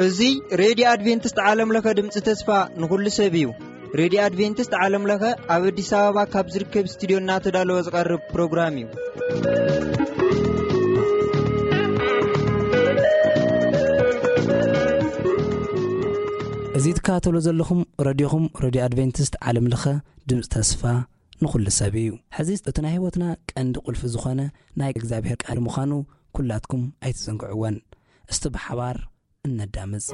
እዚ ሬድዮ ኣድቬንቲስት ዓለም ለኸ ድምፂ ተስፋ ንኹሉ ሰብ እዩ። ሬድዮ ኣድቬንቲስት ዓለም ለኸ ኣብ ኣዲስ ኣበባ ካብ ዝርከብ ስቱዲዮ እናተዳለወ ዝቐርብ ፕሮግራም እዩ። እዚ ትከታተሉ ዘለኹም ረድዮኹም ሬድዮ ኣድቬንቲስት ዓለም ለኸ ድምፂ ተስፋ ንኹሉ ሰብ እዩ። ሕዚ እቲ ናይ ህይወትና ቀንዲ ቁልፊ ዝኾነ ናይ እግዚኣብሔር ቃል ምዃኑ ኩላትኩም ኣይትዘንግዕወን። እስቲ ብሓባር እነዳምፅ።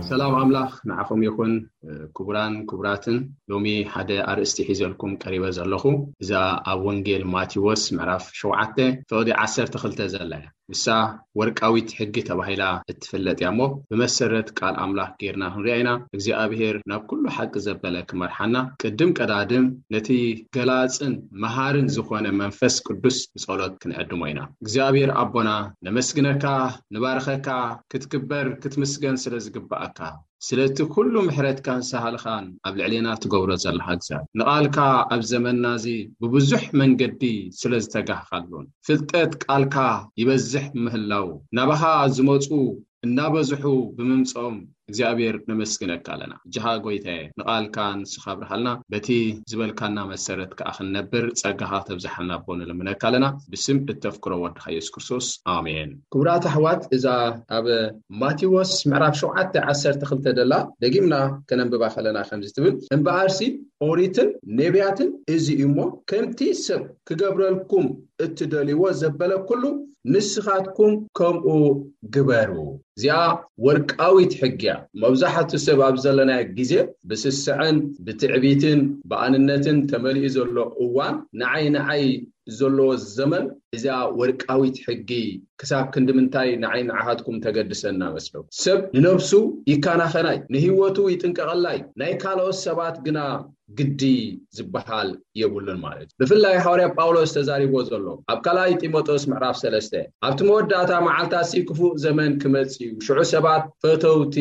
ሰላም ኣምላኽ ንዓኹም ይኹን። ክቡራን ክቡራትን፣ ሎሚ ሓደ ኣርእስቲ ሒዘልኩም ቀሪበ ዘለኹ፣ እዛ ኣብ ወንጌል ማቴዎስ ምዕራፍ ሸውዓተ ፍቕዲ ዓሰርተ ክልተ ዘላ እያ። ንሳ ወርቃዊት ሕጊ ተባሂላ እትፍለጥ እያ እሞ፣ ብመሰረት ቃል ኣምላኽ ጌርና ክንሪኣ ኢና። እግዚኣብሔር ናብ ኩሉ ሓቂ ዘበለ ክመርሓና፣ ቅድም ቀዳድም ነቲ ገላጽን መሃርን ዝኾነ መንፈስ ቅዱስ ብጸሎት ክንዕድሞ ኢና። እግዚኣብሔር ኣቦና፣ ነመስግነካ፣ ንባርኸካ፣ ክትክበር፣ ክትምስገን ስለ ዝግብኣካ፣ ስለቲ ኩሉ ምሕረትካን ሳህልኻን ኣብ ልዕሌና ትገብሮ ዘለኻ እግዚኣብሔር፣ ንቓልካ ኣብ ዘመንና እዚ ብብዙሕ መንገዲ ስለ ዝተጋህኻሉን፣ ፍልጠት ቃልካ ይበዝሕ ምህላው፣ ናባኻ ዝመጹ እናበዝሑ ብምምጾም፣ እግዚኣብሔር ነመስግነካ ኣለና። እጅኻ ጎይታየ፣ ንቓልካ ንስኻ ኣብርሃልና፣ በቲ ዝበልካና መሰረት ከኣ ክንነብር ጸጋኻ ተብዝሓልና ኣቦ ንልምነካ ኣለና። ብስም እተፍቅሮ ወድኻ የሱስ ክርስቶስ፣ ኣሜን። ክቡራት ኣሕዋት፣ እዛ ኣብ ማቴዎስ ምዕራፍ ሸውዓተ ዓሰርተ ክልተ ደላ ደጊምና ከነንብባ ከለና ከምዚ ትብል፣ እምበኣርሲ ኦሪትን ነቢያትን እዚ እዩ እሞ፣ ከምቲ ሰብ ክገብረልኩም እትደልይዎ ዘበለ ኩሉ ንስኻትኩም ከምኡ ግበሩ። እዚኣ ወርቃዊት ሕጊ እያ። መብዛሕትኡ ሰብ ኣብ ዘለናዮ ግዜ ብስስዐን ብትዕቢትን ብኣንነትን ተመሊኡ ዘሎ እዋን፣ ንዓይ ንዓይ ዘለዎ ዘመን፣ እዚኣ ወርቃዊት ሕጊ ክሳብ ክንዲ ምንታይ ንዓይ ንዓኻትኩም ተገድሰና መስሎ? ሰብ ንነብሱ ይከናኸናይ፣ ንህይወቱ ይጥንቀቐላይ፣ ናይ ካልኦት ሰባት ግና ግዲ ዝበሃል የብሉን ማለት እዩ። ብፍላይ ሃዋርያ ጳውሎስ ተዛሪቦ ዘሎ ኣብ ካልኣይ ጢሞቴዎስ ምዕራፍ ሰለስተ፣ ኣብቲ መወዳእታ መዓልታሲ ክፉእ ዘመን ክመጽእ እዩ፣ ሽዑ ሰባት ፈተውቲ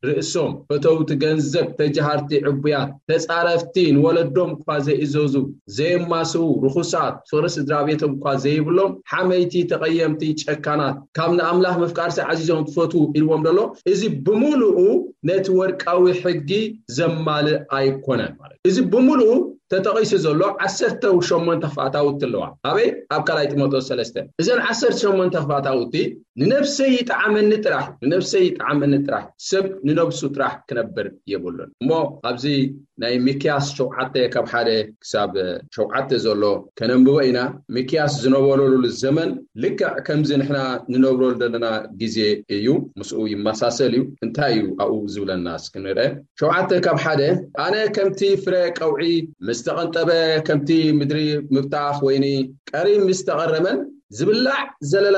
ርእሶም፣ ፈተውቲ ገንዘብ፣ ተጃሃርቲ ዕቡያት፣ ተጻረፍቲ፣ ንወለዶም እኳ ዘይእዘዙ፣ ዘየማስዉ፣ ርኹሳት፣ ፍቕሪ ስድራ ቤቶም እኳ ዘይብሎም፣ ሓመይቲ፣ ተቐየምቲ፣ ጨካናት፣ ካብ ንኣምላኽ ምፍቃርሲ ዓዚዞም ትፈትዉ ኢልዎም ደሎ፣ እዚ ብምሉኡ ነቲ ወርቃዊ ሕጊ ዘማልእ ኣይኮነን ማለት እዩ። እዚ ብምሉኡ ተጠቒሱ ዘሎ ዓሰርተ ሸሞንተ ክፍኣታውቲ ኣለዋ። ኣበይ? ኣብ ካልኣይ ጢሞቴዎስ ሰለስተ። እዘን ዓሰርተ ሸሞንተ ክፍኣታውቲ ንነብሰይ ይጥዓመኒ ጥራሕ፣ ንነብሰይ ይጥዓመኒ ጥራሕ፣ ሰብ ንነብሱ ጥራሕ ክነብር የብሉን። እሞ ኣብዚ ናይ ሚክያስ ሸውዓተ ካብ ሓደ ክሳብ ሸውዓተ ዘሎ ከነንብቦ ኢና። ሚክያስ ዝነበረሉ ዘመን ልክዕ ከምዚ ንሕና ንነብረሉ ዘለና ግዜ እዩ፣ ምስኡ ይመሳሰል እዩ። እንታይ እዩ ኣብኡ ዝብለና እስኪ ንርአ። ሸውዓተ ካብ ሓደ፣ ኣነ ከምቲ ፍረ ቀውዒ ምስ ተቐንጠበ፣ ከምቲ ምድሪ ምብታኽ ወይኒ ቀሪብ ምስ ተቐረመን ዝብላዕ ዘለላ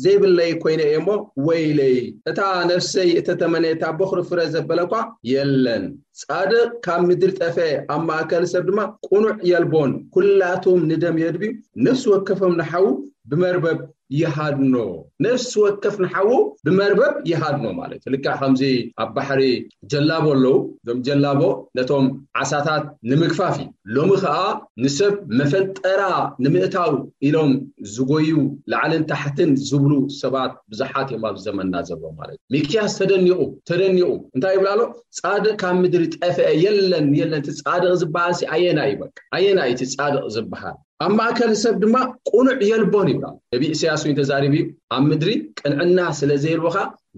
ዘይብለይ ኮይነ እየ እሞ፣ ወይለይ፣ እታ ነፍሰይ እተተመነየታ በኹሪ ፍረ ዘበለ እኳ የለን። ጻድቕ ካብ ምድሪ ጠፍአ፣ ኣብ ማእከል ሰብ ድማ ቅኑዕ የልቦን። ኩላቶም ንደም የድብዩ፣ ነፍሲ ወከፎም ንሓዉ ብመርበብ ይሃድኖ። ነፍሲ ወከፍ ንሓዉ ብመርበብ ይሃድኖ ማለት እዩ። ልክዕ ከምዚ ኣብ ባሕሪ ጀላቦ ኣለዉ። እዞም ጀላቦ ነቶም ዓሳታት ንምግፋፍ እዩ። ሎሚ ኸኣ ንሰብ መፈንጠራ ንምእታው ኢሎም ዝጎዩ፣ ላዕልን ታሕትን ዝብሉ ሰባት ብዙሓት እዮም ኣብዚ ዘመንና ዘለዉ ማለት እዩ። ሚክያስ ተደኒቑ፣ ተደኒቑ እንታይ ይብል ኣሎ? ጻድቕ ካብ ምድሪ ጠፍአ፣ የለን፣ የለን፣ እቲ ጻድቕ ዝበሃል ሲ ኣየናይ እዩ? በቃ ኣየናይ እቲ ጻድቕ ዝበሃል? ኣብ ማእከል ሰብ ድማ ቅኑዕ የልቦን ይብላ። ነቢ ኢሳያስ እውን ተዛሪቡ እዩ። ኣብ ምድሪ ቅንዕና ስለ ዘየልቦኻ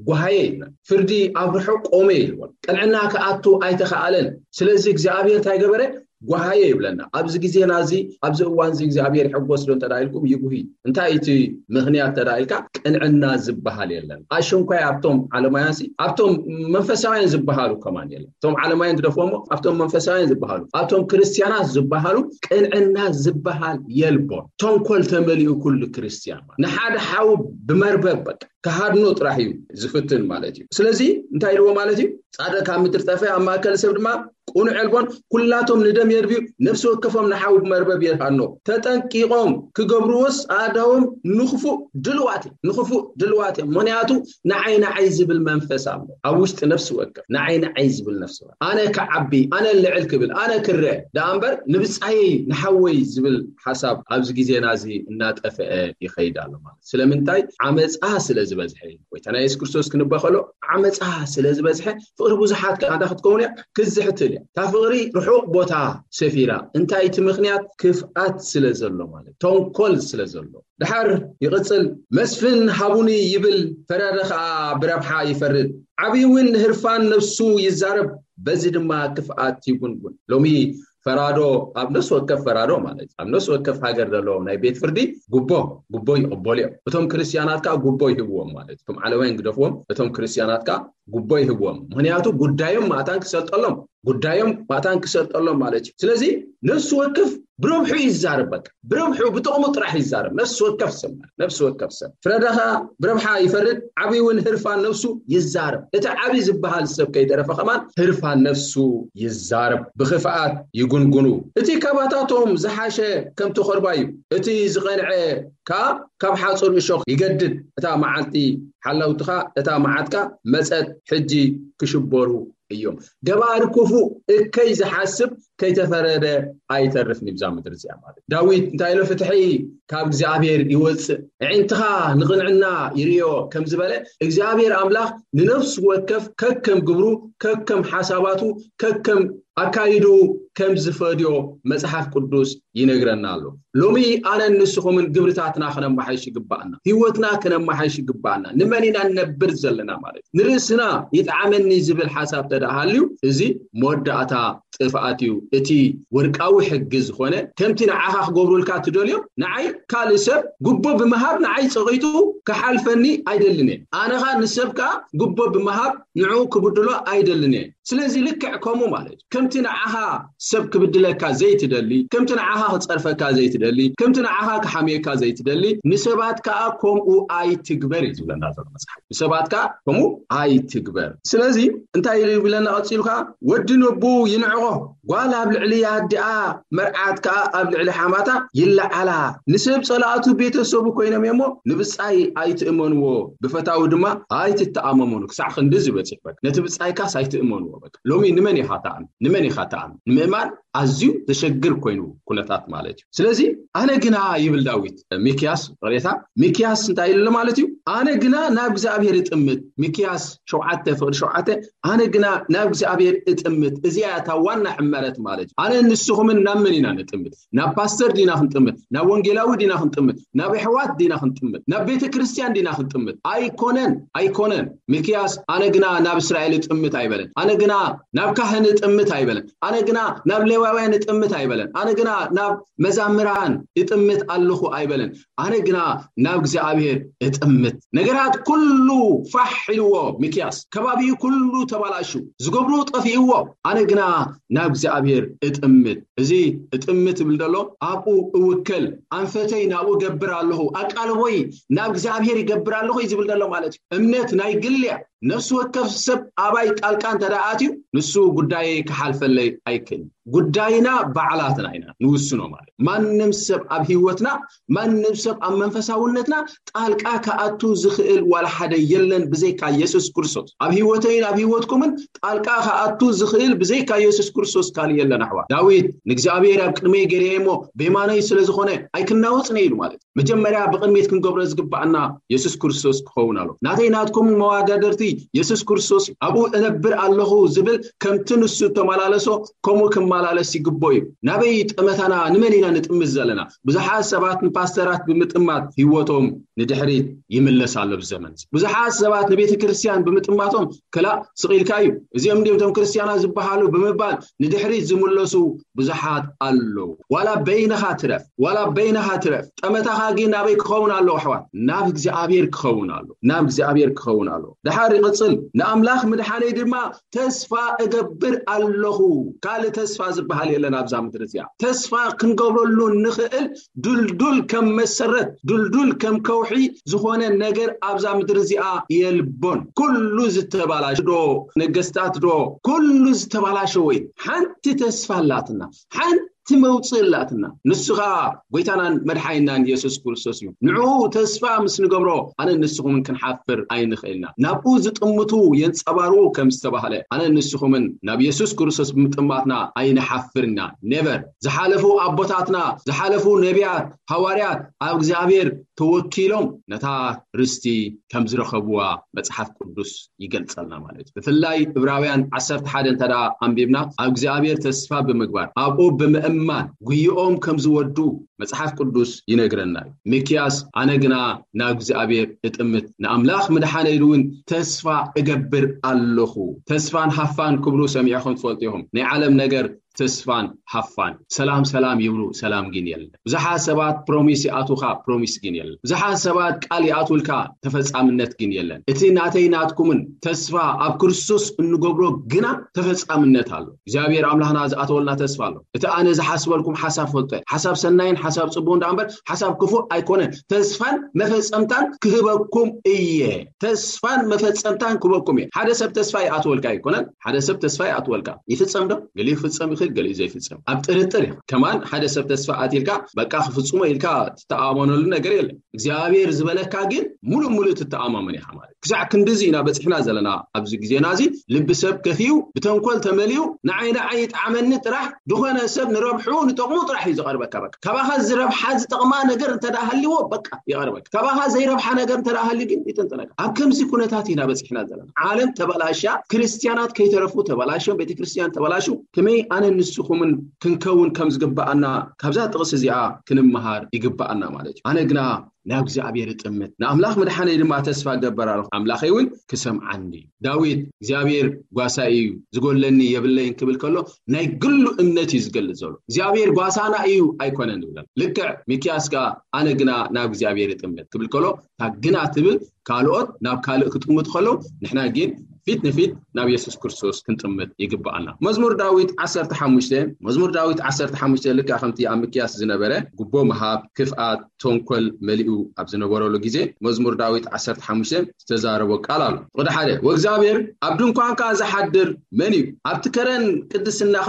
ጓሃየ ይብላ። ፍርዲ ኣብ ርሑቕ ቆመ ይልቦን። ቅንዕና ክኣቱ ኣይተኻኣለን። ስለዚ እግዚኣብሔር እንታይ ገበረ? ጓሃየ ይብለና። ኣብዚ ግዜና እዚ፣ ኣብዚ እዋን እዚ እግዚኣብሔር ይሕጎስ ዶ እንተ ኢልኩም፣ ይጉሂ። እንታይ እቲ ምኽንያት እንተ ኢልካ፣ ቅንዕና ዝበሃል የለን። ኣሽንኳይ ኣብቶም ዓለማውያን ሲ፣ ኣብቶም መንፈሳውያን ዝበሃሉ ከማን የለን። እቶም ዓለማውያን ግደፎሞ፣ ኣብቶም መንፈሳውያን ዝበሃሉ፣ ኣብቶም ክርስቲያናት ዝበሃሉ ቅንዕና ዝበሃል የልቦን። ተንኮል ተመሊኡ ኩሉ ክርስቲያን ማለት፣ ንሓደ ሓው ብመርበብ በቃ ክሃድኖ ጥራሕ እዩ ዝፍትን ማለት እዩ። ስለዚ እንታይ ኢልዎ ማለት እዩ? ጻድቕ ካብ ምድሪ ጠፍአ፣ ኣብ ማእከል ሰብ ድማ ቅኑዕ የልቦን፣ ኩላቶም ንደም የድብዩ፣ ነፍሲ ወከፎም ንሓው ብመርበብ የድሃኖ። ተጠንቂቖም ክገብርዎስ ኣእዳዎም ንኽፉእ ድልዋት እዮም፣ ንኽፉእ ድልዋት እዮም። ምኽንያቱ ንዓይ ንዓይ ዝብል መንፈስ ኣሎ ኣብ ውሽጢ ነፍሲ ወከፍ። ንዓይ ንዓይ ዝብል ነፍሲ ወከፍ፣ ኣነ ክዓቢ፣ ኣነ ልዕል ክብል፣ ኣነ ክረአ ደኣ እምበር፣ ንብጻየይ ንሓወይ ዝብል ሓሳብ ኣብዚ ግዜና እዚ እናጠፍአ ይኸይድ ኣሎ ማለት። ስለምንታይ? ዓመጻ ስለ ዝበዝሐ። ጎይታና የሱስ ክርስቶስ ክንበኸሎ፣ ዓመጻ ስለ ዝበዝሐ፣ ፍቕሪ ብዙሓት ከኣ እንታይ ክትከውን እያ? ክዝሕትል እያ። እታ ፍቕሪ ርሑቕ ቦታ ሰፊራ። እንታይ እቲ ምኽንያት? ክፍኣት ስለ ዘሎ ማለት፣ ተንኮል ስለ ዘሎ። ድሓር ይቕጽል፣ መስፍን ሃቡኒ ይብል፣ ፈራዲ ኸኣ ብረብሓ ይፈርድ። ዓብዪ እውን ንህርፋን ነፍሱ ይዛረብ፣ በዚ ድማ ክፍኣት ይጉንጉን። ሎሚ ፈራዶ፣ ኣብ ነፍሲ ወከፍ ፈራዶ ማለት፣ ኣብ ነፍሲ ወከፍ ሃገር ዘሎ ናይ ቤት ፍርዲ ጉቦ፣ ጉቦ ይቕበሉ እዮም። እቶም ክርስትያናት ከኣ ጉቦ ይህብዎም ማለት፣ እቶም ዓለማውያን ግደፍዎም፣ እቶም ክርስትያናት ከኣ ጉቦ ይህብዎም። ምኽንያቱ ጉዳዮም ማእታን ክሰልጠሎም፣ ጉዳዮም ማእታን ክሰልጠሎም ማለት እዩ። ስለዚ ነፍሲ ወከፍ ብረብሑ ይዛረብ፣ በቃ ብረብሑ፣ ብጥቕሙ ጥራሕ ይዛረብ። ነፍሲ ወከፍ ሰብ ማለት፣ ነፍሲ ወከፍ ሰብ፣ ፍረዳ ኸኣ ብረብሓ ይፈርድ፣ ዓብዪ እውን ህርፋን ነፍሱ ይዛረብ። እቲ ዓብዪ ዝበሃል ሰብ ከይተረፈ ከማን ህርፋን ነፍሱ ይዛረብ፣ ብኽፍኣት ይጉንጉኑ። እቲ ካባታቶም ዝሓሸ ከም ተኾርባ እዩ፣ እቲ ዝቐንዐ ከኣ ካብ ሓጹር እሾኽ ይገድድ። እታ መዓልቲ ሓላውትኻ፣ እታ መዓትካ መጸት፣ ሕጂ ክሽበሩ እዮም። ገባሪ ክፉእ እከይ ዝሓስብ ከይተፈረደ ኣይተርፍን እዩ ብዛ ምድሪ እዚኣ ማለት። ዳዊት እንታይ ኢሉ? ፍትሒ ካብ እግዚኣብሔር ይወጽእ፣ ኣዒንትኻ ንቕንዕና ይርእዮ ከም ዝበለ፣ እግዚኣብሔር ኣምላኽ ንነፍሲ ወከፍ ከከም ግብሩ፣ ከከም ሓሳባቱ፣ ከከም ኣካይድኡ ከም ዝፈድዮ መጽሓፍ ቅዱስ ይነግረና ኣሎ። ሎሚ ኣነን ንስኹምን ግብርታትና ክነመሓይሽ ይግባኣና፣ ህይወትና ክነመሓይሽ ይግባኣና። ንመን ኢና ንነብር ዘለና ማለት እዩ። ንርእስና ይጥዓመኒ ዝብል ሓሳብ ተደኣ ሃልዩ፣ እዚ መወዳእታ ጥፍኣት እዩ። እቲ ወርቃዊ ሕጊ ዝኾነ፣ ከምቲ ንዓኻ ክገብሩልካ ትደልዮ፣ ንዓይ ካልእ ሰብ ጉቦ ብምሃብ ንዓይ ጸቒጡ ክሓልፈኒ ኣይደልን እየ። ኣነ ኸኣ ንሰብ ከኣ ጉቦ ብምሃብ ንዕኡ ክብድሎ ኣይደልን እየ። ስለዚ ልክዕ ከምኡ ማለት እዩ። ከምቲ ንዓኻ ሰብ ክብድለካ ዘይትደሊ፣ ከምቲ ንዓኻ ክጸርፈካ ዘይትደሊ፣ ከምቲ ንዓኻ ክሓምየካ ዘይትደሊ፣ ንሰባት ከኣ ከምኡ ኣይትግበር እዩ ዝብለና ዘሎ መጽሓፍ። ንሰባት ከኣ ከምኡ ኣይትግበር። ስለዚ እንታይ ኢሉ ይብለና ቀጺሉ ከኣ? "ወዲ ነቡ ይንዕቆ፣ ጓል ኣብ ልዕሊ ኣዲኣ፣ መርዓት ከኣ ኣብ ልዕሊ ሓማታ ይለዓላ። ንሰብ ጸላእቱ ቤተሰቡ ኮይኖም እሞ ንብጻይ ኣይትእመንዎ፣ ብፈታዊ ድማ ኣይትተኣመመኑ።" ክሳዕ ክንድዚ በጺሑ፣ በቃ ነቲ ብጻይካስ ኣይትእመንዎ። በቃ ሎሚ ንመን ኢኻ ትኣምን? ንመን ኢኻ ትኣምን? ንምእማን ኣዝዩ ዘሸግር ኮይኑ ኩነታት ማለት እዩ። ስለዚ ኣነ ግና ይብል ዳዊት፣ ሚክያስ፣ ይቕሬታ፣ ሚክያስ እንታይ ኢሉ ማለት እዩ? ኣነ ግና ናብ እግዚኣብሔር እጥምት። ሚክያስ ሸውዓተ ፍቕዲ ሸውዓተ፣ ኣነ ግና ናብ እግዚኣብሔር እጥምት። እዚኣ እታ ዋና ሕመረት ማለት እዩ። ኣነ ንስኹምን ናብ መን ኢና ንጥምት? ናብ ፓስተር ዲና ክንጥምት? ናብ ወንጌላዊ ዲና ክንጥምት? ናብ ኣሕዋት ዲና ክንጥምት? ናብ ቤተ ክርስቲያን ዲና ክንጥምት? ኣይኮነን፣ ኣይኮነን። ሚክያስ ኣነ ግና ናብ እስራኤል እጥምት ኣይበለን። ኣነ ግና ናብ ካህን እጥምት ኣይበለን። ኣነ ግና ናብ ሌዋውያን እጥምት ኣይበለን። ኣነ ግና ናብ መዛምራን እጥምት ኣለኹ ኣይበለን። ኣነ ግና ናብ እግዚኣብሔር እጥምት። ነገራት ኩሉ ፋሕ ኢልዎ ሚክያስ፣ ከባቢኡ ኩሉ ተባላሹ፣ ዝገብሮ ጠፊእዎ። ኣነ ግና ናብ እግዚኣብሔር እጥምት። እዚ እጥምት ይብል ዘሎ ኣብኡ እውከል፣ ኣንፈተይ ናብኡ ገብር ኣለኹ፣ ኣቃልቦይ ናብ እግዚኣብሔር ይገብር ኣለኹ እዩ ዝብል ዘሎ ማለት እዩ። እምነት ናይ ግል እያ። ነፍሲ ወከፍ ሰብ ኣባይ ጣልቃ እንተ ደኣ ኣትዩ፣ ንሱ ጉዳየይ ክሓልፈለይ ኣይክእልን። ጉዳይና ባዕላትና ኢና ንውስኖ ማለት። ማንም ሰብ ኣብ ህይወትና፣ ማንም ሰብ ኣብ መንፈሳውነትና ጣልቃ ክኣቱ ዝኽእል ዋላ ሓደ የለን ብዘይካ የሱስ ክርስቶስ። ኣብ ህይወተይን ኣብ ህይወትኩምን ጣልቃ ክኣቱ ዝኽእል ብዘይካ የሱስ ክርስቶስ ካልእ የለን ኣሕዋት። ዳዊት ንእግዚኣብሔር ኣብ ቅድመይ ገሬ እሞ ብየማነይ ስለ ዝኾነ ኣይክናወጽን እየ ኢሉ ማለት። መጀመርያ ብቕድሚት ክንገብሮ ዝግባኣና የሱስ ክርስቶስ ክኸውን ኣሎ። ናተይ ናትኩም መወዳደርቲ የሱስ ክርስቶስ እዩ። ኣብኡ እነብር ኣለኹ ዝብል ከምቲ ንሱ እተመላለሶ ከምኡ ክመላለስ ይግቦ እዩ። ናበይ ጠመታና ንመን ኢና ንጥምት ዘለና? ብዙሓት ሰባት ንፓስተራት ብምጥማት ህይወቶም ንድሕሪት ይምለስ ኣሎ። ብዘመን ብዙሓት ሰባት ንቤተ ክርስቲያን ብምጥማቶም ክላእ ስቕ ኢልካ እዩ። እዚኦም እንዲዮም እቶም ክርስቲያናት ዝበሃሉ ብምባል ንድሕሪት ዝምለሱ ብዙሓት ኣለዉ። ዋላ በይንኻ ትረፍ፣ ዋላ በይንኻ ትረፍ፣ ጠመታኻ ግን ናበይ ክኸውን ኣለዎ ኣሕዋት? ናብ እግዚኣብሔር ክኸውን ኣሎ፣ ናብ እግዚኣብሔር ክኸውን ኣሎ። ድሓር ይቕጽል፣ ንኣምላኽ ምድሓነይ ድማ ተስፋ እገብር ኣለኹ። ካልእ ተስፋ ዝበሃል የለን ኣብዛ ምድሪ እዚኣ። ተስፋ ክንገብረሉ ንኽእል ድልዱል ከም መሰረት፣ ድልዱል ከም ከውሒ ዝኾነ ነገር ኣብዛ ምድሪ እዚኣ የልቦን። ኩሉ ዝተባላሸ ዶ፣ ነገስታት ዶ፣ ኩሉ ዝተባላሸወ እዩ። ሓንቲ ተስፋ ኣላትና፣ ሓንቲ መውፅእ ኣላትና። ንሱ ኸዓ ጎይታናን መድሓኒናን የሱስ ክርስቶስ እዩ። ንዕኡ ተስፋ ምስ ንገብሮ ኣነ ንስኹምን ክንሓፍር ኣይንኽእልና። ናብኡ ዝጥምቱ የንጸባርቑ ከም ዝተባህለ ኣነ ንስኹምን ናብ የሱስ ክርስቶስ ብምጥማትና ኣይንሓፍርና። ኔቨር። ዝሓለፉ ኣቦታትና፣ ዝሓለፉ ነቢያት፣ ሃዋርያት ኣብ እግዚኣብሔር ተወኪሎም ነታ ርስቲ ከም ዝረኸብዋ መጽሓፍ ቅዱስ ይገልጸልና ማለት እዩ። ብፍላይ ዕብራውያን ዓሰርተ ሓደ እንተ ደኣ ኣንቢብና ኣብ እግዚኣብሔር ተስፋ ብምግባር ኣብኡ ብምእማን ጉይኦም ከም ዝወዱ መጽሓፍ ቅዱስ ይነግረና እዩ። ሚክያስ ኣነ ግና ናብ እግዚኣብሔር እጥምት ንኣምላኽ ምድሓነይ እውን ተስፋ እገብር ኣለኹ። ተስፋን ሃፋን ክብሉ ሰሚዕኹም ትፈልጡ ኢኹም። ናይ ዓለም ነገር ተስፋን ሃፋን፣ ሰላም ሰላም ይብሉ፣ ሰላም ግን የለን። ብዙሓት ሰባት ፕሮሚስ ይኣትውካ፣ ፕሮሚስ ግን የለን። ብዙሓት ሰባት ቃል ይኣትውልካ፣ ተፈጻምነት ግን የለን። እቲ ናተይ ናትኩምን ተስፋ ኣብ ክርስቶስ እንገብሮ ግና ተፈጻምነት ኣሎ። እግዚኣብሔር ኣምላኽና ዝኣተወልና ተስፋ ኣሎ። እቲ ኣነ ዝሓስበልኩም ሓሳብ ፈልጦ፣ ሓሳብ ሰናይን ሓሳብ ጽቡቕን ደኣ እምበር ሓሳብ ክፉእ ኣይኮነን። ተስፋን መፈጸምታን ክህበኩም እየ። ተስፋን መፈጸምታን ክህበኩም እየ። ሓደ ሰብ ተስፋ ይኣትወልካ ኣይኮነን። ሓደ ሰብ ተስፋ ይኣትወልካ። ይፍጸም ዶ? ገሊኡ ክፍጸም ይኽእል፣ ገሊኡ ዘይፍጸም። ኣብ ጥርጥር ኢኻ። ከማን ሓደ ሰብ ተስፋ ኣትልካ በቃ ክፍጽሞ ኢልካ ትተኣማመነሉ ነገር የለን። እግዚኣብሔር ዝበለካ ግን ሙሉእ ሙሉእ ትተኣማመን ኢኻ ማለት። ክሳዕ ክንድዚ ኢና በጺሕና ዘለና ኣብዚ ግዜና እዚ። ልቢ ሰብ ከፊኡ፣ ብተንኮል ተመሊኡ፣ ንዓይ ንዓይ ይጥዓመኒ ጥራሕ፣ ዝኾነ ሰብ ንረብሑ ንጥቕሙ ጥራሕ እዩ ዝቐርበካ። በቃ ካባኻ ዝረብሓ ዝጠቕማ ነገር እንተ ደኣ ሃልይዎ በቃ ይቐርበካ። ካባኻ ዘይረብሓ ነገር እንተ ደኣ ሃልዩ ግን ይጥንጥነካ። ኣብ ከምዚ ኩነታት ኢና በጺሕና ዘለና። ዓለም ተበላሽያ፣ ክርስትያናት ከይተረፉ ተበላሽዮም፣ ቤተክርስትያን ተበላሹ። ከመይ ኣነ ንስኹምን ክንከውን ከም ዝግብኣና ካብዛ ጥቕሲ እዚኣ ክንመሃር ይግብኣና ማለት እዩ። ኣነ ግና ናብ እግዚኣብሔር እጥምት፣ ንኣምላኽ ምድሓነይ ድማ ተስፋ እገብር ኣለኹ፣ ኣምላኸይ እውን ክሰምዓኒ እዩ። ዳዊት እግዚኣብሔር ጓሳይ እዩ፣ ዝጎለኒ የብለይን ክብል ከሎ ናይ ግሉ እምነት እዩ ዝገልጽ ዘሎ። እግዚኣብሔር ጓሳና እዩ ኣይኮነን ዝብለና። ልክዕ ሚክያስ ከኣ ኣነ ግና ናብ እግዚኣብሔር እጥምት ክብል ከሎ እታ ግና ትብል ካልኦት ናብ ካልእ ክጥምቱ ከለዉ ንሕና ግን ፊት ንፊት ናብ የሱስ ክርስቶስ ክንጥምት ይግብኣና። መዝሙር ዳዊት ዓሰርተ ሓሙሽተ፣ መዝሙር ዳዊት ዓሰርተ ሓሙሽተ ልክዕ ከምቲ ኣብ ሚክያስ ዝነበረ ጉቦ ምሃብ፣ ክፍኣት፣ ተንኮል መሊኡ ኣብ ዝነበረሉ ግዜ መዝሙር ዳዊት ዓሰርተ ሓሙሽተ ዝተዛረቦ ቃል ኣሎ። ቁጥሪ ሓደ፣ "ወእግዚኣብሔር ኣብ ድንኳንካ ዝሓድር መን እዩ? ኣብቲ ከረን ቅድስናኻ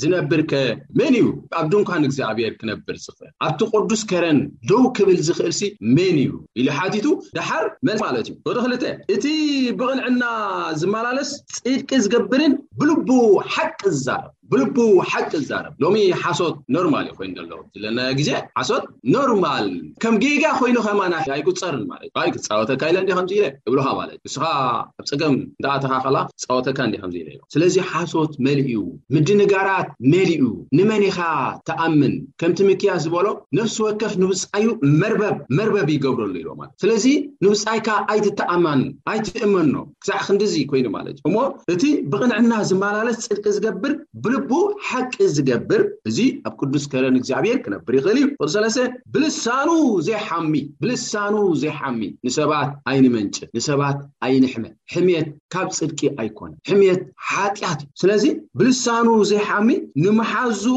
ዝነብርከ መን እዩ?" ኣብ ድንኳን እግዚኣብሔር ክነብር ዝኽእል፣ ኣብቲ ቅዱስ ከረን ደው ክብል ዝኽእልሲ መን እዩ? ኢሉ ሓቲቱ፣ ደሓር መልሲ ማለት እዩ። ቁጥሪ ክልተ፣ "እቲ ብቕንዕና ዝመላለስ ጽድቂ ዝገብርን ብልቡ ሓቂ ዝዛረብ፣ ብልቡ ሓቂ ዝዛረብ።" ሎሚ ሓሶት ኖርማል እዩ ኮይኑ ዘሎ። ዘለናዮ ግዜ ሓሶት ኖርማል፣ ከም ጌጋ ኮይኑ ከማን ኣይቁጸርን ማለት እዩ። ኣይ ክጻወተካ ኢለ እንዲ ከምዚ ኢለ እብሉኻ ማለት እዩ። ንስኻ ኣብ ጸገም እንዳኣተኻ ከላ ክጻወተካ እንዲ ከምዚ ኢለ ኢሎ። ስለዚ ሓሶት መሊኡ፣ ምድንጋራት መሊኡ፣ ንመን ኢኻ ትኣምን? ከምቲ ሚክያስ ዝበሎ ነፍሲ ወከፍ ንብጻዩ መርበብ፣ መርበብ ይገብረሉ ኢሎ ማለት። ስለዚ ንብጻይካ ኣይትተኣማን፣ ኣይትእመኖ። ክሳዕ ክንድዚ ኮይኑ ማለት እዩ። እሞ እቲ ብቕንዕና ዝመላለስ ጽድቂ ዝገብር ብልቡ ሓቂ ዝገብር፣ እዚ ኣብ ቅዱስ ከረን እግዚኣብሔር ክነብር ይኽእል እዩ። ቁጽሪ ሰለስተ፣ ብልሳኑ ዘይሓሚ፣ ብልሳኑ ዘይሓሚ፣ ንሰባት ኣይንመንጭ፣ ንሰባት ኣይንሕመ። ሕምየት ካብ ጽድቂ ኣይኮነን። ሕምየት ሓጢኣት እዩ። ስለዚ ብልሳኑ ዘይሓሚ ንመሓዝኡ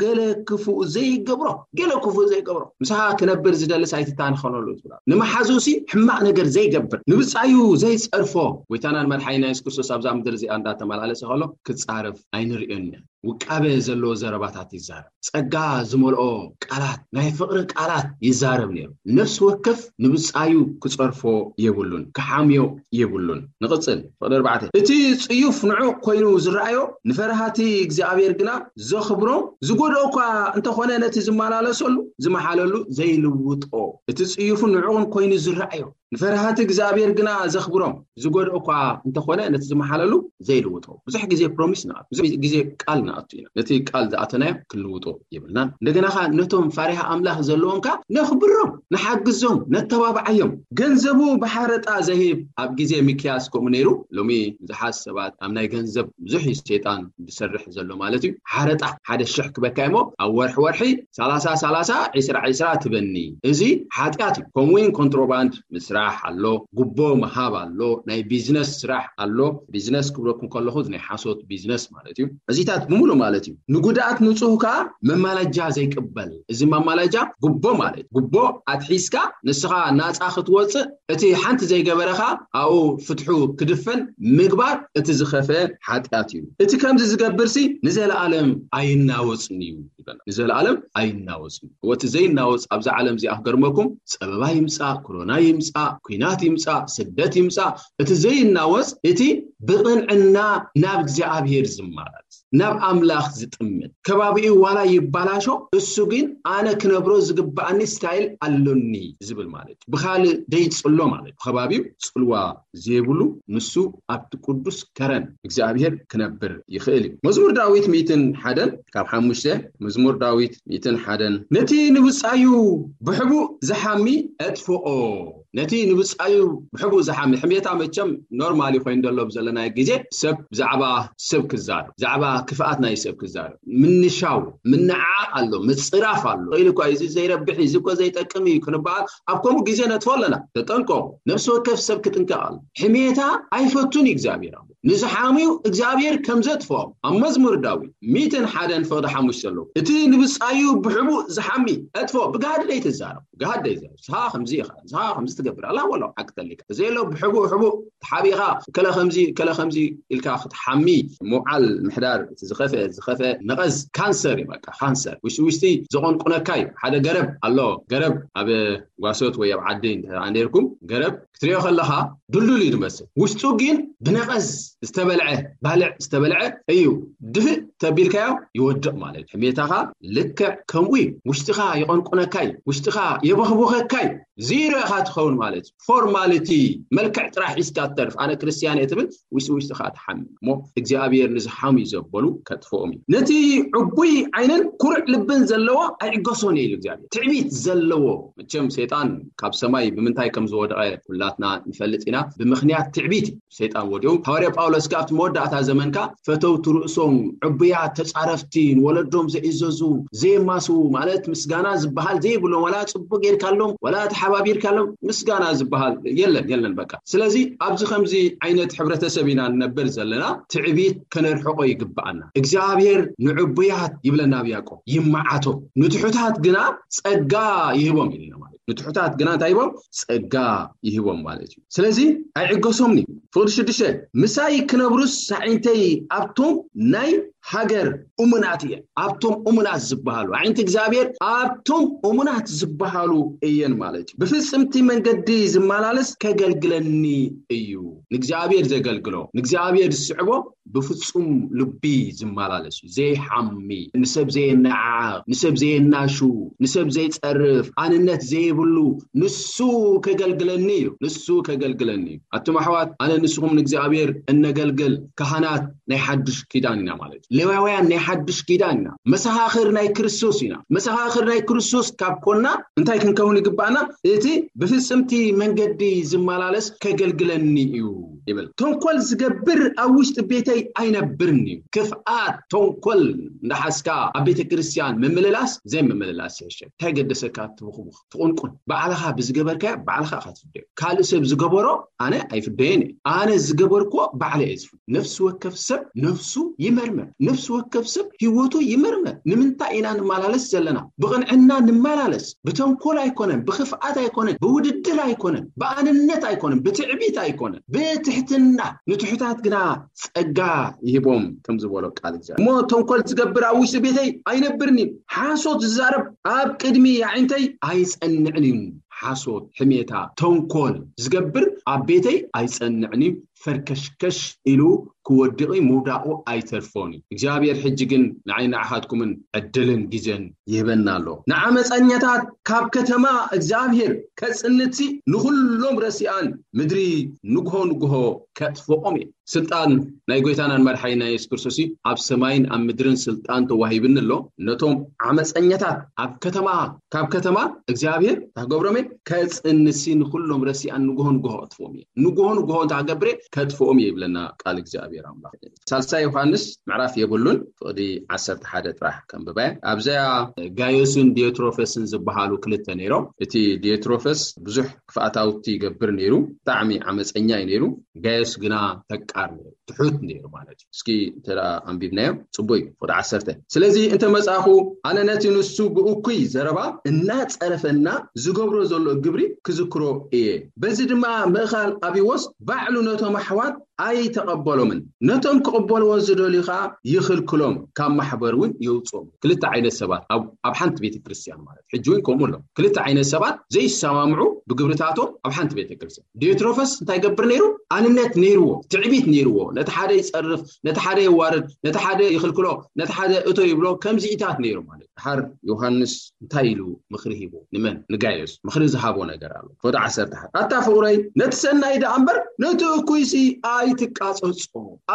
ገለ ክፉእ ዘይገብሮ፣ ገለ ክፉእ ዘይገብሮ። ምሳኻ ክነብር ዝደልስ ኣይትታንኸነሉ ትብላ። ንመሓዝኡሲ ሕማቕ ነገር ዘይገብር፣ ንብጻዩ ዘይጸርፎ፣ ጎይታናን መድሓኒና የሱስ ክርስቶስ ኣብዛ ምድሪ እዚኣ እንዳተመላለሰ ከሎ ክጻረፍ ኣይንርእዮን ኢና። ውቃበ ዘለዎ ዘረባታት ይዛረብ። ጸጋ ዝመልኦ ቃላት፣ ናይ ፍቕሪ ቃላት ይዛረብ ነይሩ። ነፍሲ ወከፍ ንብጻዩ ክጸርፎ የብሉን፣ ክሓምዮ የብሉን። ንቕጽል። ፍቕዲ ኣርባዕተ። እቲ ጽዩፍ ንዑቕ ኮይኑ ዝረኣዮ፣ ንፈራሃቲ እግዚኣብሔር ግና ዘኽብሮ፣ ዝጎድኦ እኳ እንተኾነ ነቲ ዝመላለሰሉ፣ ዝመሓለሉ ዘይልውጦ። እቲ ጽዩፍን ንዑቕን ኮይኑ ዝረኣዮ፣ ንፈርሃቲ እግዚኣብሔር ግና ዘኽብሮም። ዝጎድኦ እኳ እንተኾነ ነቲ ዝመሓለሉ ዘይልውጦ። ብዙሕ ግዜ ፕሮሚስ ንኣቱ፣ ብዙሕ ግዜ ቃል ንኣቱ ኢና። ነቲ ቃል ዝኣተናዮ ክንልውጦ የብልናን። እንደገና ኸዓ ነቶም ፈሪሃ ኣምላኽ ዘለዎም ከ ነኽብሮም፣ ንሓግዞም፣ ነተባብዓዮም። ገንዘቡ ብሓረጣ ዘሂብ ኣብ ግዜ ሚክያስ ከምኡ ነይሩ። ሎሚ ብዙሓት ሰባት ኣብ ናይ ገንዘብ ብዙሕ እዩ ሰይጣን ዝሰርሕ ዘሎ ማለት እዩ። ሓረጣ ሓደ ሽሕ ክበካ እሞ ኣብ ወርሒ ወርሒ ሰላሳ ሰላሳ ዒስራ ዒስራ ትበኒ። እዚ ሓጢኣት እዩ። ከምኡ እውን ኮንትሮባንድ ምስራሕ ኣሎ፣ ጉቦ ምሃብ ኣሎ፣ ናይ ቢዝነስ ስራሕ ኣሎ። ቢዝነስ ክብለኩም ከለኹ ናይ ሓሶት ቢዝነስ ማለት እዩ። እዚታት ብምሉ ማለት እዩ። ንጉድኣት ንጹህ ከኣ መማለጃ ዘይቅበል። እዚ መማለጃ ጉቦ ማለት ጉቦ ኣትሒዝካ ንስኻ ናጻ ክትወጽእ እቲ ሓንቲ ዘይገበረኻ ኣብኡ ፍትሑ ክድፈን ምግባር እቲ ዝኸፈ ሓጢኣት እዩ። እቲ ከምዚ ዝገብርሲ ንዘለኣለም ኣይናወጽን እዩ ይበና። ንዘለኣለም ኣይናወጽን እዩ። እቲ ዘይናወጽ ኣብዛ ዓለም እዚኣ ክገርመኩም ጸበባ ይምጻእ፣ ኮሮና ይምጻእ፣ ኩናት ይምጻእ፣ ስደት ይምጻእ፣ እቲ ዘይናወጽ እቲ ብቕንዕና ናብ እግዚኣብሔር ዝመላለስ ናብ ኣምላኽ ዝጥምት ከባቢኡ ዋላ ይባላሾ እሱ ግን ኣነ ክነብሮ ዝግባኣኒ ስታይል ኣሎኒ ዝብል ማለት እዩ። ብኻልእ ደይጽሎ ማለት እዩ። ብከባቢው ጽልዋ ዘይብሉ ንሱ ኣብቲ ቅዱስ ከረን እግዚኣብሔር ክነብር ይኽእል እዩ። መዝሙር ዳዊት ሚእትን ሓደን ካብ ሓሙሽተ መዝሙር ዳዊት ሚእትን ሓደን ነቲ ንብጻዩ ብሕቡእ ዝሓሚ ኣጥፍኦ። ነቲ ንብጻዩ ብሕቡእ ዝሓሚ ሕሜታ መቸም ኖርማሊ ኮይኑ ዘሎ ብዘለናዮ ግዜ ሰብ ብዛዕባ ሰብ ክዛረብ ብዛዕባ ክፍኣት ናይ ሰብ ክዛረብ ምንሻው ምንዓቕ ኣሎ ምጽራፍ ኣሎ። ኢሉ እኳ እዚ ዘይረብሕ እዚ እኮ ዘይጠቅም እዩ ክንበሃል ኣብ ከምኡ ግዜ ነጥፎ ኣለና። ተጠንቀቑ። ነፍሲ ወከፍ ሰብ ክጥንቀቕ ኣሎ። ሕሜታ ኣይፈቱን እዩ እግዚኣብሔር ኣሎ። ንዝሓምዩ እግዚኣብሔር ከም ዘጥፍኦም ኣብ መዝሙር ዳዊት ሚእትን ሓደን ፍቕዲ ሓሙሽተ ኣለዉ። እቲ ንብጻዩ ብሕቡእ ዝሓሚ ኣጥፍኦ። ብጋህዲ ደይትዛረብ ብጋህዲ ደይዛረብ ንስኻ ከምዚ ኢኻ ንስኻ ከምዚ ትገብር ኣላ ወሎ ሓቂ ተሊካ እዚ የሎ ብሕቡእ ሕቡእ ተሓቢኻ ከለ ከምዚ ከለ ከምዚ ኢልካ ክትሓሚ ምውዓል ምሕዳር እቲ ዝኸፈ ዝኸፈ ነቐዝ ካንሰር እዩ። በቃ ካንሰር ውሽጢ ውሽጢ ዘቐንቁነካ እዩ። ሓደ ገረብ ኣሎ። ገረብ ኣብ ጓሶት ወይ ኣብ ዓዲ እንተ ነርኩም ገረብ ክትሪኦ ከለኻ ድልዱል እዩ ዝመስል። ውሽጡ ግን ብነቐዝ ዝተበልዐ ባልዕ ዝተበልዐ እዩ። ድፍእ ተቢልካዮ ይወድቕ ማለት እዩ። ሕሜታኻ ልክዕ ከምኡ እዩ። ውሽጥኻ ይቐንቁነካ እዩ። ውሽጥኻ የበኽቡኸካ እዩ። ዚሮ ኢኻ ትኸውን ማለት እዩ። ፎርማሊቲ መልክዕ ጥራሕ ሒዝካ ትተርፍ። ኣነ ክርስትያን እየ ትብል ውሽጢ ውሽጥኻ ትሓምም እሞ እግዚኣብሔር ንዝሓሙ ዘበሉ ከጥፍኦም እዩ። ነቲ ዕቡይ ዓይንን ኩሩዕ ልብን ዘለዎ ኣይዕገሶን እዩ ኢሉ እግዚኣብሔር። ትዕቢት ዘለዎ መቸም ሰይጣን ካብ ሰማይ ብምንታይ ከም ዝወደቐ ኩላትና ንፈልጥ ኢና። ብምኽንያት ትዕቢት እዩ ሰይጣን ወዲቑ። ሃዋርያ ጳውሎስ ከኣ ኣብቲ መወዳእታ ዘመንካ ፈተውቲ ርእሶም ዕቡያት ተጻረፍቲ ንወለዶም ዘይእዘዙ ዘየማስዉ ማለት ምስጋና ዝበሃል ዘይብሎም ዋላ ጽቡቅ ጌርካሎም ዋላ ተሓባቢርካሎም ምስጋና ዝበሃል የለን የለን በቃ። ስለዚ ኣብዚ ከምዚ ዓይነት ሕብረተሰብ ኢና ንነብር ዘለና። ትዕቢት ከነርሕቆ ይግብኣና። እግዚኣብሔር ንዕቡያት ይብለና ኣብ ያዕቆብ ይመዓቶ። ንትሑታት ግና ጸጋ ይህቦም ኢልና ማለት ንትሑታት ግና እንታይ ይቦም ጸጋ ይህቦም ማለት እዩ። ስለዚ ኣይዕገሶምኒ። ፍቕዲ ሽዱሽተ ምሳይ ክነብሩስ ኣዒንተይ ኣብቶም ናይ ሃገር እሙናት እየን። ኣብቶም እሙናት ዝበሃሉ ኣዒንቲ እግዚኣብሔር ኣብቶም እሙናት ዝበሃሉ እየን ማለት እዩ። ብፍጽምቲ መንገዲ ዝመላለስ ከገልግለኒ እዩ። ንእግዚኣብሔር ዘገልግሎ ንእግዚኣብሔር ዝስዕቦ ብፍጹም ልቢ ዝመላለስ እዩ። ዘይሓሚ ንሰብ ዘየነዓቕ ንሰብ ዘየናሹ ንሰብ ዘይጸርፍ ኣንነት ዘይብሉ ንሱ ከገልግለኒ እዩ። ንሱ ከገልግለኒ እዩ። ኣቱም ኣሕዋት ኣነ ንስኹም ንእግዚኣብሔር እነገልግል ካህናት ናይ ሓድሽ ኪዳን ኢና ማለት እዩ። ሌዋውያን ናይ ሓድሽ ኪዳን ኢና። መሰኻኽር ናይ ክርስቶስ ኢና። መሰኻኽር ናይ ክርስቶስ ካብ ኮና እንታይ ክንከውን ይግባእና? እቲ ብፍጽምቲ መንገዲ ዝመላለስ ከገልግለኒ እዩ ይብል። ተንኮል ዝገብር ኣብ ውሽጢ ቤተይ ኣይነብርን እዩ። ክፍኣት ተንኮል እንዳሓዝካ ኣብ ቤተ ክርስቲያን ምምልላስ ዘይምምልላስ ይሕሸ። እንታይ ገደሰካ? ትብኹብኽ ትቑንቁን ባዕልኻ ብዝገበርካዮ ባዕልኻ ኢኻ ትፍደዮ። ካልእ ሰብ ዝገበሮ ኣነ ኣይፍደየን እየ። ኣነ ዝገበርክዎ ባዕለ እየ ዝፍደ። ነፍሲ ወከፍ ሰብ ነፍሱ ይመርመር። ነፍሲ ወከፍ ሰብ ህይወቱ ይመርመር። ንምንታይ ኢና ንመላለስ ዘለና? ብቕንዕና ንመላለስ። ብተንኮል ኣይኮነን፣ ብኽፍኣት ኣይኮነን፣ ብውድድር ኣይኮነን፣ ብኣንነት ኣይኮነን፣ ብትዕቢት ኣይኮነን፣ ብትሕትና ንትሑታት ግና ጸጋ ይህቦም ከም ዝበሎ ቃል እግዚኣብሔር። እሞ ተንኮል ዝገብር ኣብ ውሽጢ ቤተይ ኣይነብርን እዩ። ሓሶት ዝዛረብ ኣብ ቅድሚ ኣዒንተይ ኣይጸንዕን እዩ። ሓሶት፣ ሕሜታ፣ ተንኮል ዝገብር ኣብ ቤተይ ኣይጸንዕን እዩ። ፈርከሽከሽ ኢሉ ክወድቕ ምውዳቑ ኣይተርፎን እዩ። እግዚኣብሔር ሕጂ ግን ንዓይ ንዓኻትኩምን ዕድልን ግዜን ይህበና ኣሎ። ንዓመፀኛታት ካብ ከተማ እግዚኣብሔር ከፅንትሲ ንኹሎም ረሲኣን ምድሪ ንግሆ ንግሆ ከጥፍኦም እየ። ስልጣን ናይ ጎይታናን መድሓኒና የሱስ ክርስቶስ እዩ። ኣብ ሰማይን ኣብ ምድርን ስልጣን ተዋሂብኒ ኣሎ። ነቶም ዓመፀኛታት ኣብ ከተማ ካብ ከተማ እግዚኣብሔር ታገብሮም እየ። ከፅንትሲ ንኹሎም ረሲኣን ንግሆ ንግሆ ከጥፍኦም እየ። ንግሆ ንግሆ እንተገብረ ከጥፍኦም እየ ይብለና ቃል እግዚኣብሔር ኣምላኽ። ሳልሳይ ዮሃንስ ምዕራፍ የብሉን፣ ፍቕዲ ዓሰርተ ሓደ ጥራሕ ከንብበ። ኣብዚኣ ጋዮስን ዲዮትሮፈስን ዝበሃሉ ክልተ ነይሮም። እቲ ዲዮትሮፈስ ብዙሕ ክፍኣታውቲ ይገብር ነይሩ፣ ብጣዕሚ ዓመፀኛ እዩ ነይሩ። ጋዮስ ግና ፈቃር ነይሩ፣ ትሑት ነይሩ ማለት እዩ። እስኪ እንተ ደኣ ኣንቢብናዮ ጽቡቅ እዩ። ፍቕዲ ዓሰርተ፣ ስለዚ እንተ መጻኹ ኣነ ነቲ ንሱ ብእኩይ ዘረባ እናጸረፈና ዝገብሮ ዘሎ ግብሪ ክዝክሮ እየ። በዚ ድማ ምእኻል ኣብይዎስ ባዕሉ ነቶም ኣሕዋት ኣይተቐበሎምን፣ ነቶም ክቕበልዎ ዝደልዩ ኸዓ ይኽልክሎም፣ ካብ ማሕበር እውን የውፅኦም። ክልተ ዓይነት ሰባት ኣብ ኣብ ሓንቲ ቤተ ክርስቲያን ማለት ሕጂ እውን ከምኡ ኣሎ። ክልተ ዓይነት ሰባት ዘይሰማምዑ ብግብርታቶም ኣብ ሓንቲ ቤተ ክርስቲያን። ዲዮትሮፈስ እንታይ ገብር ነይሩ? ኣንነት ነይርዎ፣ ትዕቢት ነይርዎ። ነቲ ሓደ ይፀርፍ፣ ነቲ ሓደ የዋርድ፣ ነቲ ሓደ ይኽልክሎ፣ ነቲ ሓደ እቶ ይብሎ። ከምዚኢታት ነይሩ ማለት። ድሓር ዮሃንስ እንታይ ኢሉ ምኽሪ ሂቡ? ንመን? ንጋዮስ ምኽሪ ዝሃቦ ነገር ኣሎ። ፍቕዲ ዓሰርተ ሓደ፣ ኣታ ፍቕረይ፣ ነቲ ሰናይ ደኣ እምበር ነቲ እኩይሲ ኣይትቃጸጾ፣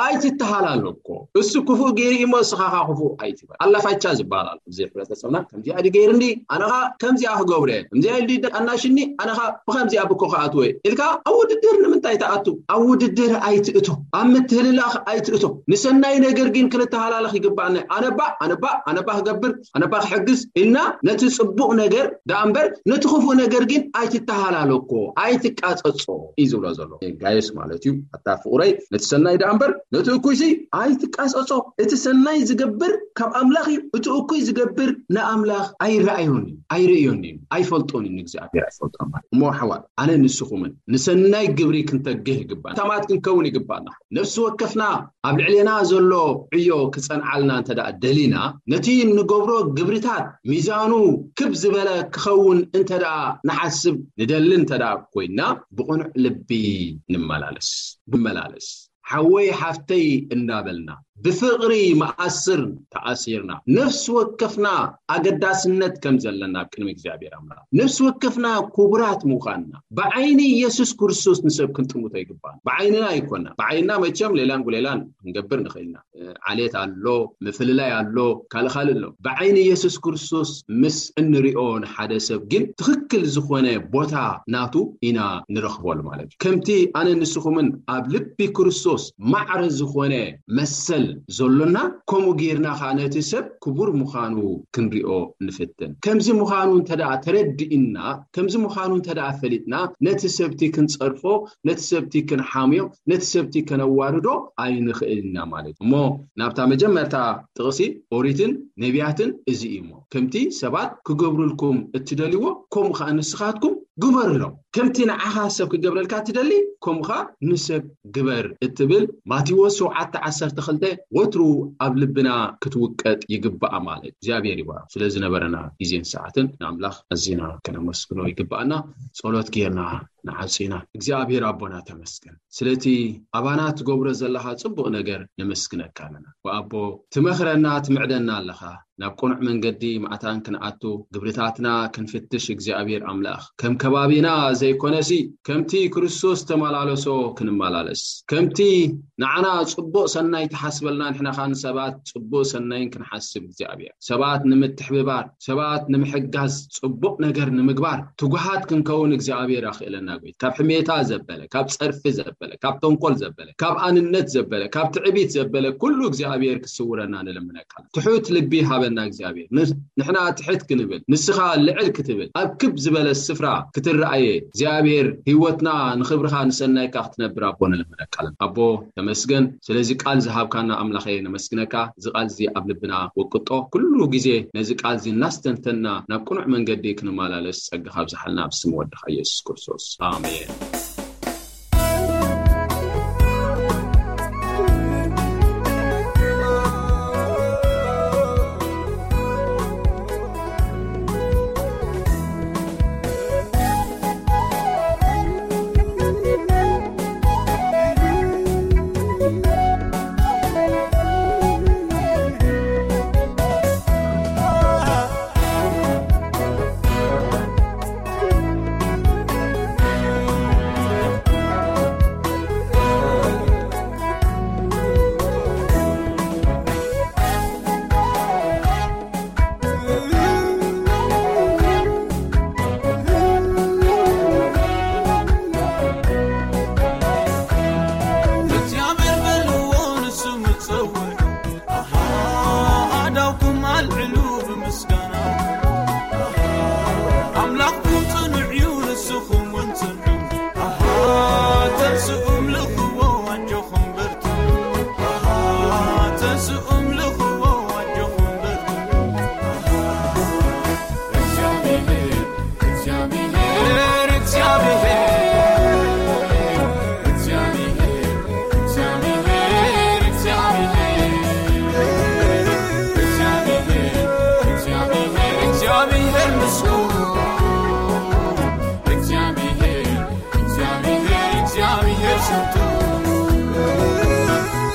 ኣይትተሃላለኮ። እሱ ክፉእ ገይሩ እሞ እስኻ ኸዓ ክፉእ ኣይትበል። ኣላፋቻ ዝበሃል ኣሎ ኣብዚ ሕብረተሰብና። ከምዚኣ ድዩ ገይሩ እንዲ ኣነ ኸዓ ከምዚኣ ክገብረ እየ፣ ከምዚኣ ኢሉ ኣናሽኒ ኣነ ኸዓ ብኸምዚኣ ብኮ ክኣትወ እየ ኢልካ ኣብ ውድድር ንምንታይ ትኣቱ? ኣብ ውድድር ኣይትእቶ፣ ኣብ ምትህልላኽ ኣይትእቶ። ንሰናይ ነገር ግን ክንተሃላለኽ ይግባኣና። ኣነባ ኣነባ ኣነባ ክገብር ኣነባ ክሕግዝ ኢልና ነቲ ጽቡቕ ነገር ደኣ እምበር ነቲ ክፉእ ነገር ግን ኣይትተሃላለኮ፣ ኣይትቃጸጾ እዩ ዝብሎ ዘሎ ጋይስ ማለት እዩ። ኣታ ፍቑረይ፣ ነቲ ሰናይ ደኣ እምበር ነቲ እኩይሲ ኣይትቃጸጾ። እቲ ሰናይ ዝገብር ካብ ኣምላኽ እዩ፣ እቲ እኩይ ዝገብር ንኣምላኽ ኣይረኣዮን እዩ፣ ኣይርእዮን እዩ፣ ኣይፈልጦን እዩ፣ ንእግዚኣብሔር ኣይፈልጦን ማለት እሞ። ኣሕዋት፣ ኣነ ንስኹምን ንሰናይ ግብሪ ክንተግህ ይግባእ፣ ታማት ክንከውን ይግባእና። ነፍሲ ወከፍና ኣብ ልዕሌና ዘሎ ዕዮ ክጸንዓልና እንተ ደኣ ደሊና፣ ነቲ እንገብሮ ግብርታት ሚዛኑ ክብ ዝበለ ክኸውን እንተ ደኣ ንሓስብ ንደሊ እንተ ደኣ ኮይና፣ ብቕኑዕ ልቢ ንመላለስ፣ ንመላለስ። ሓወይ ሓፍተይ እንዳበልና ብፍቕሪ መኣስር ተኣሲርና፣ ነፍሲ ወከፍና ኣገዳስነት ከም ዘለና ኣብ ቅድሚ እግዚኣብሔር ኣምላኽ፣ ነፍሲ ወከፍና ክቡራት ምዃንና ብዓይኒ ኢየሱስ ክርስቶስ ንሰብ ክንጥምቶ ይግባና። ብዓይንና ኣይኮና። ብዓይንና መቸም ሌላን ጉሌላን ክንገብር ንኽእል ኢና። ዓሌት ኣሎ፣ ምፍልላይ ኣሎ፣ ካልእ ካልእ ኣሎ። ብዓይኒ ኢየሱስ ክርስቶስ ምስ እንሪኦ ንሓደ ሰብ ግን ትኽክል ዝኾነ ቦታ ናቱ ኢና ንረኽበሉ ማለት እዩ። ከምቲ ኣነ ንስኹምን ኣብ ልቢ ክርስቶስ ማዕረ ዝኾነ መሰል ዘሎና፣ ከምኡ ጌርና ኸዓ ነቲ ሰብ ክቡር ምዃኑ ክንሪኦ ንፍትን። ከምዚ ምዃኑ እንተ ደኣ ተረዲእና፣ ከምዚ ምዃኑ እንተ ደኣ ፈሊጥና፣ ነቲ ሰብቲ ክንጸርፎ፣ ነቲ ሰብቲ ክንሓምዮ፣ ነቲ ሰብቲ ከነዋርዶ ኣይንኽእል ኢና ማለት እዩ። እሞ ናብታ መጀመርታ ጥቕሲ ኦሪትን ነቢያትን እዚ እዩ። እሞ ከምቲ ሰባት ክገብሩልኩም እትደልይዎ፣ ከምኡ ኸዓ ንስኻትኩም ግበሩሎም። ከምቲ ንዓኻ ሰብ ክገብረልካ እትደሊ፣ ከምኡ ኸዓ ንሰብ ግበር እትብል ማቴዎስ ሸውዓተ ዓሰርተ ክልተ ወትሩ ኣብ ልብና ክትውቀጥ ይግባኣ ማለት እዩ። እግዚኣብሔር ይባርክ። ስለ ዝነበረና ግዜን ሰዓትን ንኣምላኽ ኣዚና ከነመስግኖ ይግባኣና። ጸሎት ጌርና ንዓጽ ኢና። እግዚኣብሔር ኣቦና ተመስገን። ስለቲ ኣባና ትገብሮ ዘለኻ ጽቡቕ ነገር ነመስግነካ ኣለና። ወኣቦ ትመኽረና፣ ትምዕደና ኣለኻ። ናብ ቅኑዕ መንገዲ መዓታን ክንኣቱ፣ ግብርታትና ክንፍትሽ እግዚኣብሔር ኣምላኽ። ከም ከባቢና ዘይኮነሲ ከምቲ ክርስቶስ ተመላለሶ ክንመላለስ። ከምቲ ንዓና ጽቡቕ ሰናይ ትሓስበልና ንሕና ኻን ሰባት ጽቡቕ ሰናይን ክንሓስብ እግዚኣብሔር። ሰባት ንምትሕብባር፣ ሰባት ንምሕጋዝ፣ ጽቡቕ ነገር ንምግባር ትጉሃት ክንከውን እግዚኣብሔር ኣኽእለና። ጎይታ ካብ ሕሜታ ዘበለ፣ ካብ ጸርፊ ዘበለ፣ ካብ ተንኮል ዘበለ፣ ካብ ኣንነት ዘበለ፣ ካብ ትዕቢት ዘበለ ኩሉ እግዚኣብሔር ክስውረና ንልምነካ። ትሑት ልቢ ሃበና እግዚኣብሔር። ን-፣ ንሕና ትሕት ክንብል፣ ንስኻ ልዕል ክትብል፣ ኣብ ክብ ዝበለ ስፍራ ክትረኣየ እግዚኣብሔር ህይወትና ንኽብርኻ ንሰናይካ ክትነብር ኣቦ ንልምነካ ኣለና። ኣቦ ተመስገን ስለዚ ቃል ዝሃብካና ኣምላኸ ነመስግነካ። እዚ ቃል እዚ ኣብ ልብና ወቅጦ። ኩሉ ግዜ ነዚ ቃል እዚ እናስተንተና ናብ ቅኑዕ መንገዲ ክንመላለስ ጸጋ ካብዝሓልና ኣብ ስም ወድኻ ኢየሱስ ክርስቶስ። ኣሜን።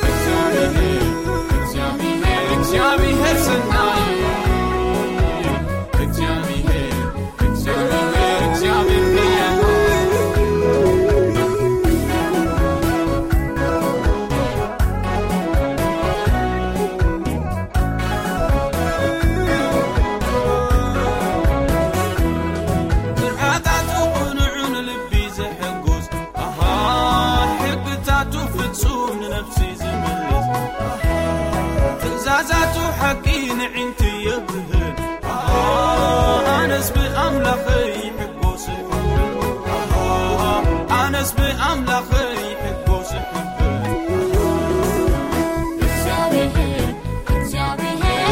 እግዚኣብሔር፣ እግዚኣብሔር ሰናይ፣ እግዚኣብሔር፣ እግዚኣብሔር፣ እግዚኣብሔር ብርሃን። ስርዓታቱ ቅኑዕን ልቢ ዘሐጉስ፣ ኣሃ፣ ሕግታቱ ፍጹም ንነፍሲ ዝምልስ፣ ኣሃ፣ ትእዛዛቱ ሓቂ ንዒንቲ የብህል፣ ኣሃ፣ ኣነስ ብኣምላኸይ ይሕጎስ እሕብር፣ ኣሃ፣ ኣነስ ብኣምላኸይ ይሕጎስ እሕብር። እግዚኣብሔር፣ እግዚኣብሔር፣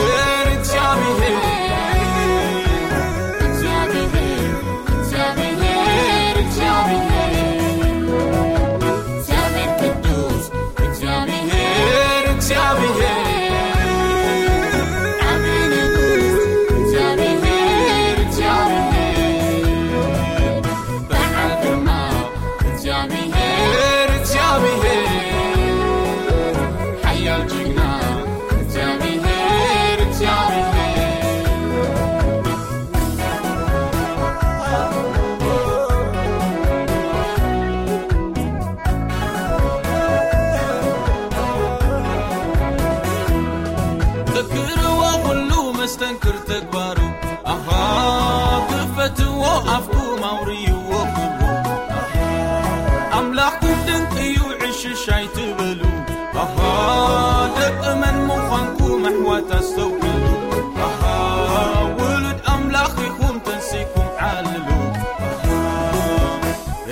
እግዚኣብሔር፣ እግዚኣብሔር፣ እግዚኣብሔር፣ እግዚኣብሔር፣ እግዚኣብሔር ቅዱስ፣ እግዚኣብሔር፣ እግዚኣብሔር፣ ዓቢ ንጉስ፣ እግዚኣብሔር፣ እግዚኣብሔር፣ በዓል ግርማ፣ እግዚኣብሔር፣ እግዚኣብሔር፣ ሓያል ጅግና፣ እግዚኣብሔር፣ እግዚኣብሔር። ዘክርዎ ኩሉ መስተንክር ተግባሩ፣ ኣሃ፣ ክፈትዎ ኣፍኩም ኣውርይዎ ክብሩ። ኣምላኽኩም ድንቅ እዩ፣ ዕሽሽ ኣይትበሉ። ኣሃ፣ ደቂ መን ምዃንኩም ኣሕዋት ኣስተውዕሉ። ኣሃ፣ ውሉድ ኣምላኽ ኢኹም ተንሲኩም ዓልሉ። ኣሃ፣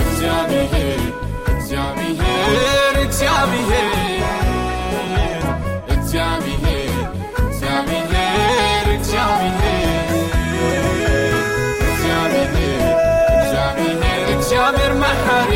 እግዚኣብሔር፣ እግዚኣብሔር፣ እግዚኣብሔር፣ እግዚኣብሔር፣ እግዚኣብሔር፣ እግዚኣብሔር፣ እግዚኣብሔር፣ እግዚኣብሔር መሓሪ፣